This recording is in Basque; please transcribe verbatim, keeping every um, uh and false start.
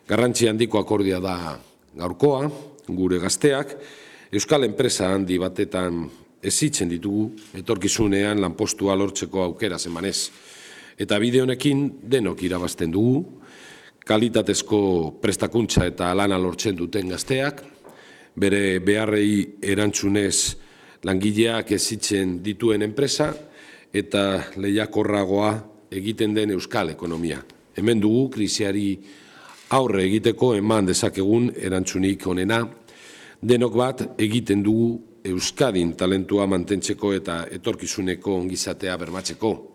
Garrantzi handiko akordioa da gaurkoa, gure gazteak, euskal enpresa handi batetan ezitzen ditugu, etorkizunean lanpostua lortzeko aukera emanez. Eta bide honekin denok irabazten dugu, kalitatezko prestakuntza eta lana lortzen duten gazteak, bere beharrei erantzunez langileak ezitzen dituen enpresa eta lehiakorragoa egiten den euskal ekonomia. Hemen dugu krisiari aurre egiteko eman dezakegun erantzunik onena, denok bat egiten dugu Euskadin talentua mantentzeko eta etorkizuneko ongizatea bermatzeko.